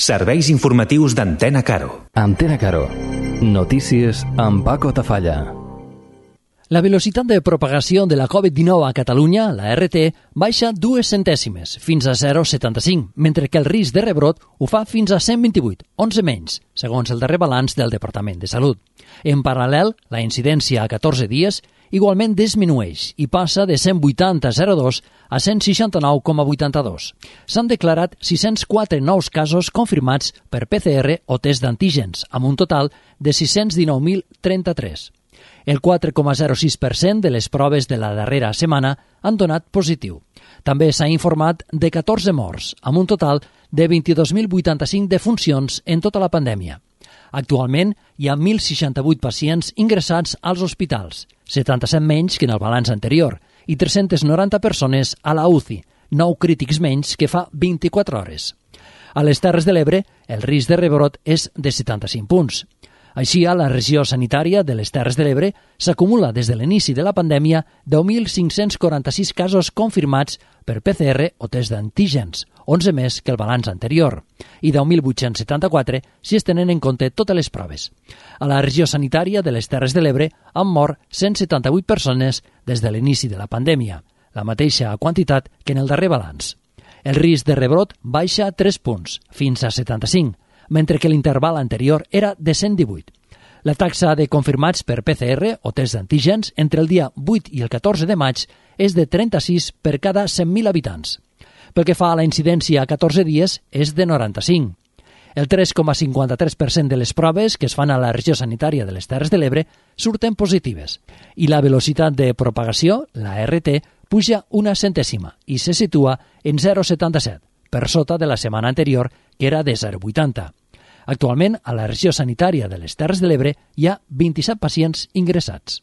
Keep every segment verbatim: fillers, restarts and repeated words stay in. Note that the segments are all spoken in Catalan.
Serveis informatius d'Antena Caro. Antena Caro. Notícies amb Paco Tafalla. La velocitat de propagació de la covid dinou a Catalunya, la R T, baixa dues centèsimes, fins a zero coma setanta-cinc, mentre que el risc de rebrot ho fa fins a cent vint-i-vuit, onze menys, segons el darrer balanç del Departament de Salut. En paral·lel, la incidència a catorze dies igualment disminueix i passa de cent vuitanta coma zero dos a cent seixanta-nou coma vuitanta-dos. S'han declarat sis-cents quatre nous casos confirmats per P C R o test d'antígens, amb un total de sis-cents dinou mil trenta-tres. El quatre coma zero sis per cent de les proves de la darrera setmana han donat positiu. També s'ha informat de catorze morts, amb un total de vint-i-dos mil vuitanta-cinc defuncions en tota la pandèmia. Actualment hi ha mil seixanta-vuit pacients ingressats als hospitals, setanta-set menys que en el balanç anterior, i tres-centes noranta persones a la U C I, nou crítics menys que fa vint-i-quatre hores. A les Terres de l'Ebre, el risc de rebrot és de setanta-cinc punts. Així, a la regió sanitària de les Terres de l'Ebre s'acumula des de l'inici de la pandèmia deu mil cinc-cents quaranta-sis casos confirmats per P C R o test d'antígens, onze més que el balanç anterior, i deu mil vuit-cents setanta-quatre si es tenen en compte totes les proves. A la regió sanitària de les Terres de l'Ebre han mort cent setanta-vuit persones des de l'inici de la pandèmia, la mateixa quantitat que en el darrer balanç. El risc de rebrot baixa tres punts, fins a setanta-cinc, mentre que l'interval anterior era de cent divuit. La taxa de confirmats per P C R o test d'antígens entre el dia vuit i el catorze de maig és de trenta-sis per cada cent mil habitants. Pel que fa a la incidència a catorze dies, és de noranta-cinc. El tres coma cinquanta-tres per cent de les proves que es fan a la regió sanitària de les Terres de l'Ebre surten positives i la velocitat de propagació, la R T, puja una centèsima i se situa en zero coma setanta-set, per sota de la setmana anterior, que era de zero coma vuitanta. Actualment, a la regió sanitària de les Terres de l'Ebre hi ha vint-i-set pacients ingressats.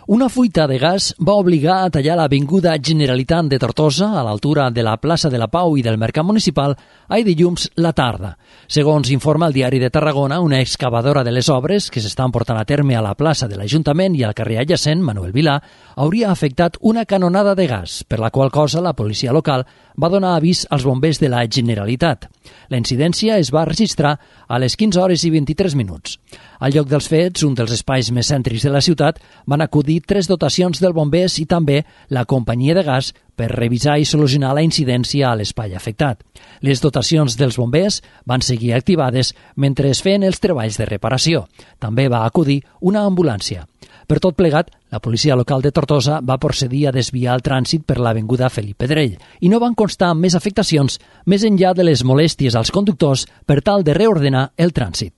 Una fuita de gas va obligar a tallar l'Avinguda Generalitat de Tortosa, a l'altura de la plaça de la Pau i del Mercat Municipal, ahir dilluns la tarda. Segons informa el Diari de Tarragona, una excavadora de les obres que s'estan portant a terme a la plaça de l'Ajuntament i al carrer adjacent, Manuel Vilà, hauria afectat una canonada de gas, per la qual cosa la policia local va donar avís als bombers de la Generalitat. La incidència es va registrar a les quinze hores i vint-i-tres minuts. Al lloc dels fets, un dels espais més cèntrics de la ciutat, van acudir tres dotacions del bombers i també la companyia de gas per revisar i solucionar la incidència a l'espai afectat. Les dotacions dels bombers van seguir activades mentre es feien els treballs de reparació. També va acudir una ambulància. Per tot plegat, la policia local de Tortosa va procedir a desviar el trànsit per l'avinguda Felip Pedrell i no van constar més afectacions més enllà de les molèsties als conductors per tal de reordenar el trànsit.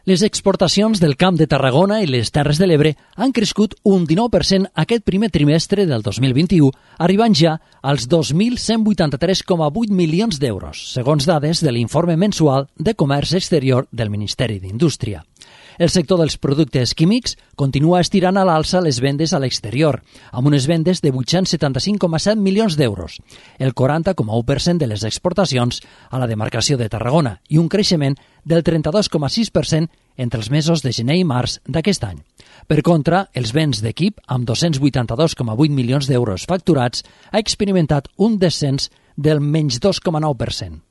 Les exportacions del Camp de Tarragona i les Terres de l'Ebre han crescut un dinou per cent aquest primer trimestre del dos mil vint-i-u, arribant ja als dos mil cent vuitanta-tres coma vuit milions d'euros, segons dades de l'informe mensual de Comerç Exterior del Ministeri d'Indústria. El sector dels productes químics continua estirant a l'alça les vendes a l'exterior, amb unes vendes de vuit-cents setanta-cinc coma set milions d'euros, el quaranta coma u per cent de les exportacions a la demarcació de Tarragona i un creixement del trenta-dos coma sis per cent entre els mesos de gener i març d'aquest any. Per contra, els béns d'equip, amb dos-cents vuitanta-dos coma vuit milions d'euros facturats, ha experimentat un descens del menys dos coma nou per cent.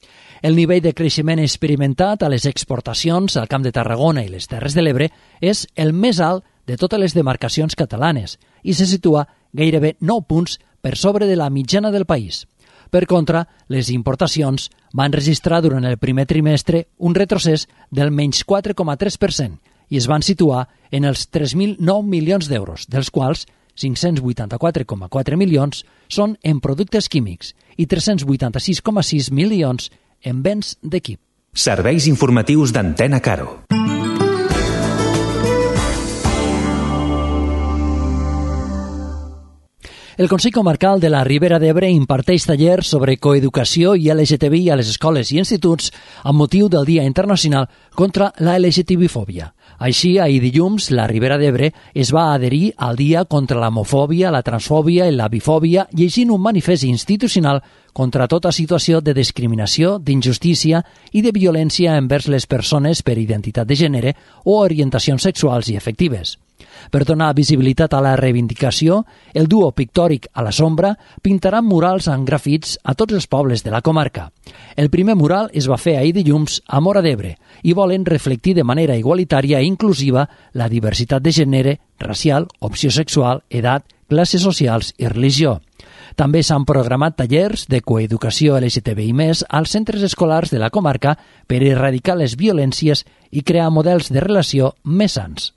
El nivell de creixement experimentat a les exportacions al Camp de Tarragona i les Terres de l'Ebre és el més alt de totes les demarcacions catalanes i se situa gairebé nou punts per sobre de la mitjana del país. Per contra, les importacions van registrar durant el primer trimestre un retrocés del menys quatre coma tres per cent i es van situar en els tres mil nou milions d'euros, dels quals cinc-cents vuitanta-quatre coma quatre milions són en productes químics i tres-cents vuitanta-sis coma sis milions en béns d'equip. Serveis informatius d'Antena Caro. El Consell Comarcal de la Ribera d'Ebre imparteix tallers sobre coeducació i L G T B I a les escoles i instituts amb motiu del Dia Internacional contra la L G T B fòbia. Així, ahir dilluns, la Ribera d'Ebre es va adherir al Dia contra l'homofòbia, la transfòbia i la bifòbia, llegint un manifest institucional contra tota situació de discriminació, d'injustícia i de violència envers les persones per identitat de gènere o orientacions sexuals i afectives. Per donar visibilitat a la reivindicació, el duo pictòric A la Sombra pintarà murals amb grafits a tots els pobles de la comarca. El primer mural es va fer ahir dilluns a Móra d'Ebre i volen reflectir de manera igualitària i inclusiva la diversitat de gènere, racial, opció sexual, edat, classes socials i religió. També s'han programat tallers de coeducació L G T B I més, als centres escolars de la comarca per erradicar les violències i crear models de relació més sans.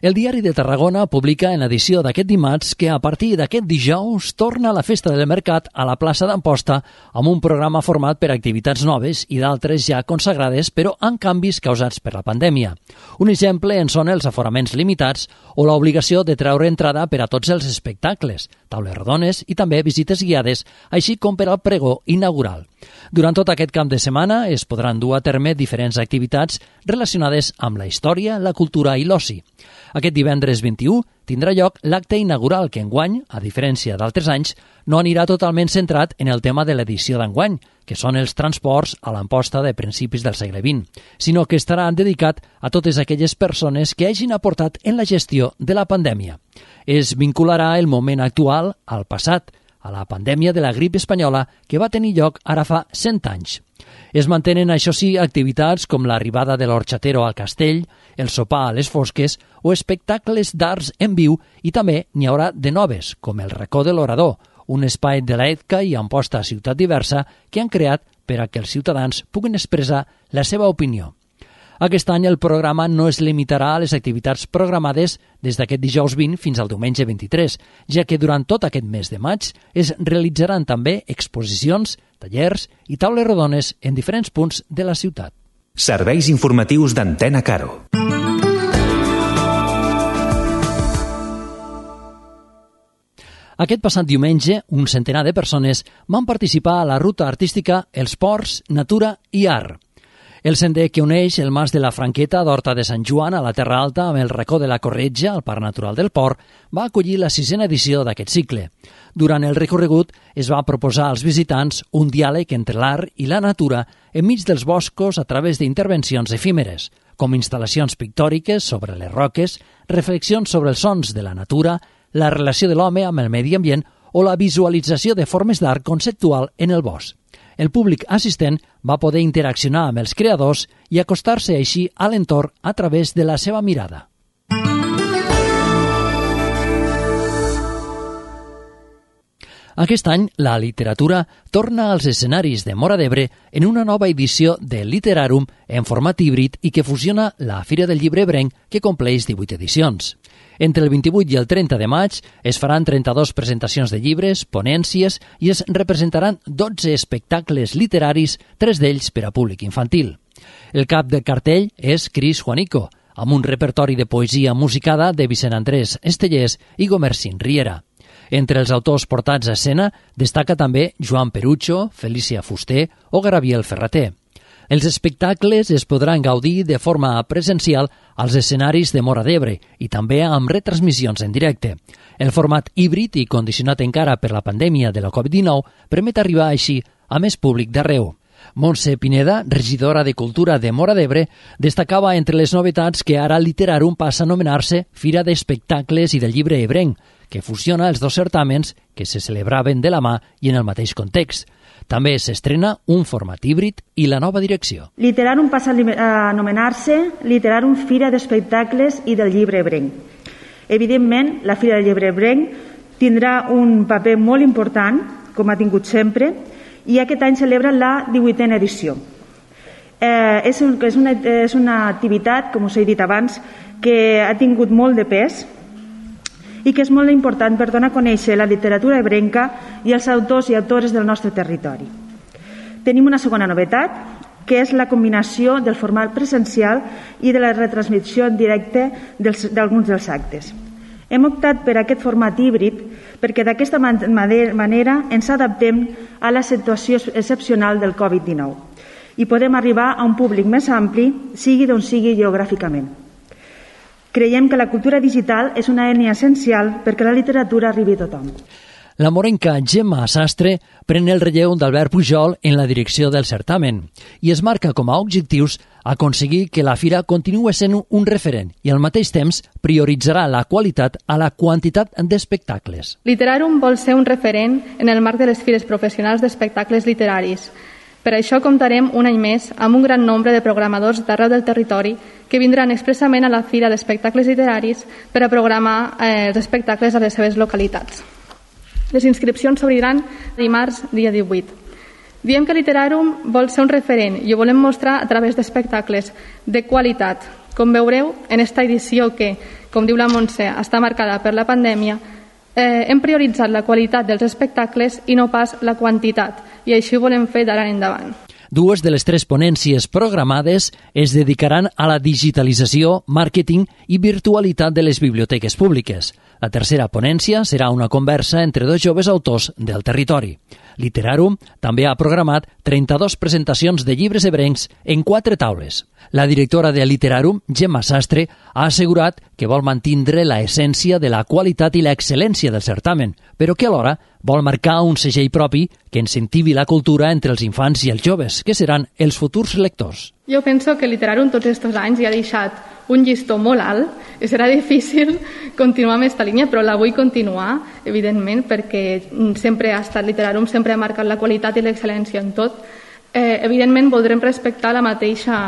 El Diari de Tarragona publica en edició d'aquest dimarts que a partir d'aquest dijous torna la Festa del Mercat a la plaça d'Amposta amb un programa format per activitats noves i d'altres ja consagrades però amb canvis causats per la pandèmia. Un exemple en són els aforaments limitats o l'obligació de treure entrada per a tots els espectacles, taules rodones i també visites guiades, així com per al pregó inaugural. Durant tot aquest cap de setmana es podran dur a terme diferents activitats relacionades amb la història, la cultura i l'oci. Aquest divendres vint-i-u tindrà lloc l'acte inaugural que enguany, a diferència d'altres anys, no anirà totalment centrat en el tema de l'edició d'enguany, que són els transports a l'Amposta de principis del segle vint, sinó que estarà dedicat a totes aquelles persones que hagin aportat en la gestió de la pandèmia. Es vincularà el moment actual al passat, a la pandèmia de la grip espanyola que va tenir lloc ara fa cent anys. Es mantenen, això sí, activitats com l'arribada de l'orxatero al castell, el sopar a les fosques o espectacles d'arts en viu i també n'hi haurà de noves, com el racó de l'orador, un espai de l'Edca i Amposta Ciutat Diversa que han creat per a que els ciutadans puguin expressar la seva opinió. Aquest any el programa no es limitarà a les activitats programades des d'aquest dijous vint fins al diumenge vint-i-tres, ja que durant tot aquest mes de maig es realitzaran també exposicions, tallers i taules rodones en diferents punts de la ciutat. Serveis informatius d'Antena Caro. Aquest passat diumenge, un centenar de persones van participar a la ruta artística Els Ports, Natura i Art. El sender que uneix el Mas de la Franqueta d'Horta de Sant Joan a la Terra Alta amb el racó de la Corretja, al Parc Natural del Port, va acollir la sisena edició d'aquest cicle. Durant el recorregut es va proposar als visitants un diàleg entre l'art i la natura enmig dels boscos a través d'intervencions efímeres, com instal·lacions pictòriques sobre les roques, reflexions sobre els sons de la natura, la relació de l'home amb el medi ambient o la visualització de formes d'art conceptual en el bosc. El públic assistent va poder interaccionar amb els creadors i acostar-se així a l'entorn a través de la seva mirada. Aquest any, la literatura torna als escenaris de Móra d'Ebre en una nova edició de Literarum en format híbrid i que fusiona la Fira del Llibre Ebrenc, que compleix divuit edicions. Entre el vint-i-vuit i el trenta de maig es faran trenta-dues presentacions de llibres, ponències i es representaran dotze espectacles literaris, tres d'ells per a públic infantil. El cap del cartell és Cris Juanico, amb un repertori de poesia musicada de Vicent Andrés Estellers i Gomercín Riera. Entre els autors portats a escena destaca també Joan Perucho, Felícia Fuster o Gabriel Ferrater. Els espectacles es podran gaudir de forma presencial als escenaris de Móra d'Ebre i també amb retransmissions en directe. El format híbrid i condicionat encara per la pandèmia de la covid dinou permet arribar així a més públic d'arreu. Montse Pineda, regidora de Cultura de Móra d'Ebre, destacava entre les novetats que ara Literarum passa a anomenar-se Fira d'Espectacles i del Llibre Ebrenc, que fusiona els dos certàmens que se celebraven de la mà i en el mateix context. També s'estrena un format híbrid i la nova direcció. Literarum passa a anomenar-se Literarum Fira d'Espectacles i del Llibre Ebrenc. Evidentment, la Fira del Llibre Ebrenc tindrà un paper molt important, com ha tingut sempre, i aquest any celebra la divuitena edició. Eh, és, un, és, una, és una activitat, com us he dit abans, que ha tingut molt de pes i que és molt important per donar a conèixer la literatura ebrenca i els autors i autores del nostre territori. Tenim una segona novetat, que és la combinació del format presencial i de la retransmissió en directe d'alguns dels actes. Hem optat per aquest format híbrid perquè d'aquesta manera ens adaptem a la situació excepcional del covid dinou i podem arribar a un públic més ampli, sigui d'on sigui geogràficament. Creiem que la cultura digital és una eina essencial perquè la literatura arribi a tothom. La morenca Gemma Sastre pren el relleu d'Albert Pujol en la direcció del certamen i es marca com a objectius aconseguir que la fira continue sent un referent i al mateix temps prioritzarà la qualitat a la quantitat d'espectacles. Literarum vol ser un referent en el marc de les fires professionals d'espectacles literaris. Per això comptarem un any més amb un gran nombre de programadors d'arreu del territori que vindran expressament a la Fira d'Espectacles Literaris per a programar eh, els espectacles a les seves localitats. Les inscripcions s'obriran dimarts, dia divuit. Diem que Literarum vol ser un referent i ho volem mostrar a través d'espectacles de qualitat. Com veureu, en esta edició que, com diu la Montse, està marcada per la pandèmia, eh, hem prioritzat la qualitat dels espectacles i no pas la quantitat, i així ho volem fer d'ara en endavant. Dues de les tres ponències programades es dedicaran a la digitalització, màrqueting i virtualitat de les biblioteques públiques. La tercera ponència serà una conversa entre dos joves autors del territori. Literarum també ha programat trenta-dues presentacions de llibres ebrencs en quatre taules. La directora de Literarum, Gemma Sastre, ha assegurat que vol mantindre la essència de la qualitat i l'excel·lència del certamen, però que alhora vol marcar un segell propi que incentivi la cultura entre els infants i els joves, que seran els futurs lectors. Jo penso que Literarum tots aquests anys ja ha deixat un llistó molt alt i serà difícil continuar amb aquesta línia, però la vull continuar, evidentment, perquè sempre ha estat Literarum, sempre ha marcat la qualitat i l'excel·lència en tot. Eh, evidentment, voldrem respectar la mateixa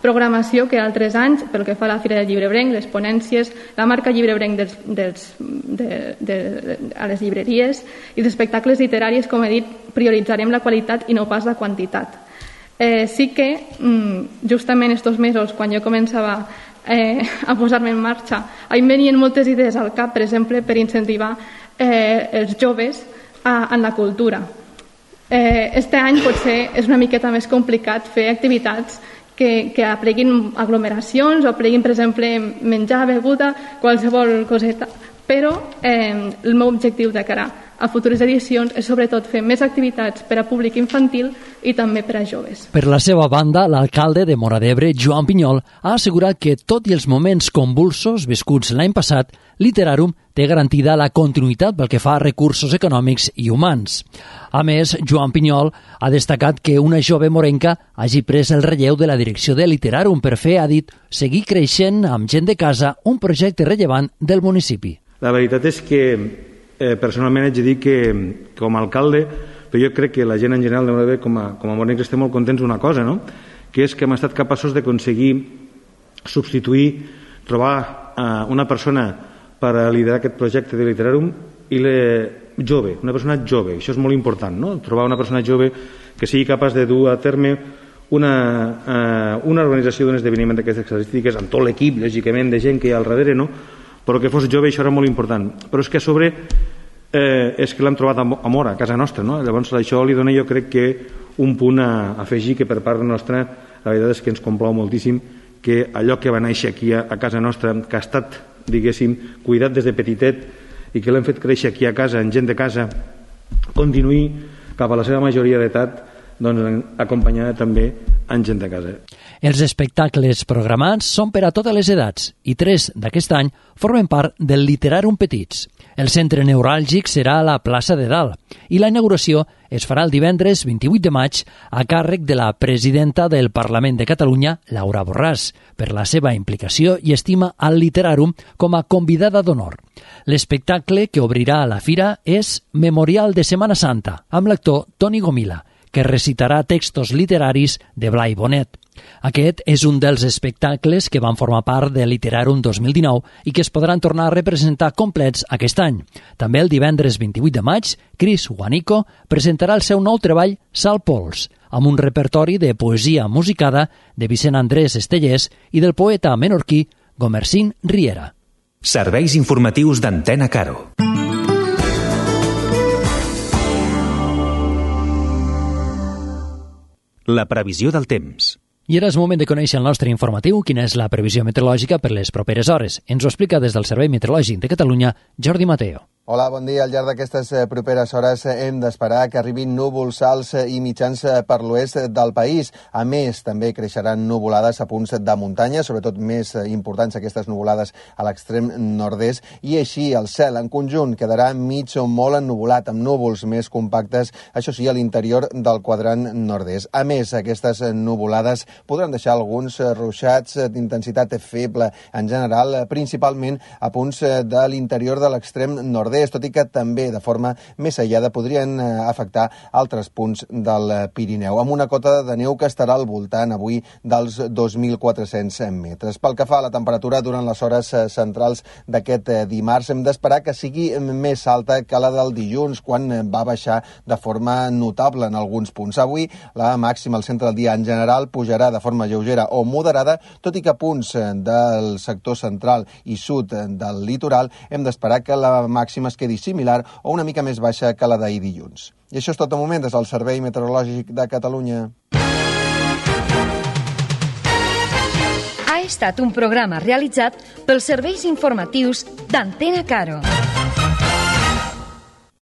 programació que altres anys pel que fa a la Fira del Llibrebrenc, les ponències, la marca Llibrebrenc dels, dels, de, de, de, a les llibreries i els espectacles literaris, com he dit, prioritzarem la qualitat i no pas la quantitat. Eh, sí que, justament estos mesos, quan jo començava eh, a posar-me en marxa, em venien moltes idees al cap, per exemple, per incentivar eh, els joves a, en la cultura. Eh, este any potser és una miqueta més complicat fer activitats que, que apleguin aglomeracions o apleguin, per exemple, menjar, beguda, qualsevol coseta, però eh, el meu objectiu de cara a futures edicions és sobretot fer més activitats per a públic infantil i també per a joves. Per la seva banda, l'alcalde de Móra d'Ebre, Joan Pinyol, ha assegurat que, tot i els moments convulsos viscuts l'any passat, Literarum té garantida la continuïtat pel que fa a recursos econòmics i humans. A més, Joan Pinyol ha destacat que una jove morenca hagi pres el relleu de la direcció de Literarum per fer, ha dit, seguir creixent amb gent de casa un projecte rellevant del municipi. La veritat és que eh, personalment haig de dir que com a alcalde, però jo crec que la gent en general de Móra d'Ebre com a, com a morencs estem molt contents d'una cosa, no? Que és que hem estat capaços d'aconseguir substituir, trobar eh, una persona per a liderar aquest projecte de Literarum i le jove, una persona jove, això és molt important, no? Trobar una persona jove que sigui capaç de dur a terme una, eh, una organització d'un esdeveniment d'aquestes característiques amb tot l'equip, lògicament, de gent que hi ha al darrere, no? Però que fos jove, això era molt important. Però és que a sobre eh, és que l'hem trobat a Móra, a casa nostra, no? Llavors això li dona, jo crec que un punt a afegir que per part nostra la veritat és que ens complau moltíssim que allò que va néixer aquí a, a casa nostra, que ha estat, diguéssim, cuidat des de petitet i que l'hem fet créixer aquí a casa, en gent de casa, continuï cap a la seva majoria d'edat, doncs acompanyada també en gent de casa. Els espectacles programats són per a totes les edats i tres d'aquest any formen part del Literarum Petits. El centre neuràlgic serà a la plaça de Dalt i la inauguració es farà el divendres vint-i-vuit de maig a càrrec de la presidenta del Parlament de Catalunya, Laura Borràs, per la seva implicació i estima al Literarum com a convidada d'honor. L'espectacle que obrirà a la fira és Memorial de Setmana Santa, amb l'actor Toni Gomila, que recitarà textos literaris de Blai Bonet. Aquest és un dels espectacles que van formar part de Literarum dos mil dinou i que es podran tornar a representar complets aquest any. També el divendres vint-i-vuit de maig, Chris Juanico presentarà el seu nou treball Sal Pols, amb un repertori de poesia musicada de Vicent Andrés Estellers i del poeta menorquí Gomercín Riera. Serveis informatius d'Antena Caro. La previsió del temps. I ara és moment de conèixer el nostre informatiu, quina és la previsió meteorològica per les properes hores. Ens ho explica des del Servei Meteorològic de Catalunya, Jordi Mateo. Hola, bon dia. Al llarg d'aquestes properes hores hem d'esperar que arribin núvols alts i mitjans per l'oest del país. A més, també creixeran nuvolades a punts de muntanya, sobretot més importants aquestes nuvolades a l'extrem nord-est, i així el cel en conjunt quedarà mig o molt ennuvolat, amb núvols més compactes, això sí, a l'interior del quadrant nord-est. A més, aquestes nuvolades podran deixar alguns ruixats d'intensitat feble, en general, principalment a punts de l'interior de l'extrem nord-est, tot i que també de forma més aïllada podrien afectar altres punts del Pirineu, amb una cota de neu que estarà al voltant avui dels dos mil quatre-cents metres. Pel que fa a la temperatura durant les hores centrals d'aquest dimarts, hem d'esperar que sigui més alta que la del dilluns, quan va baixar de forma notable en alguns punts. Avui la màxima al centre del dia en general pujarà de forma lleugera o moderada, tot i que a punts del sector central i sud del litoral hem d'esperar que la màxima es quedi similar o una mica més baixa que la d'ahir dilluns. I això és tot de moment des del Servei Meteorològic de Catalunya. Ha estat un programa realitzat pels serveis informatius d'Antena Caro.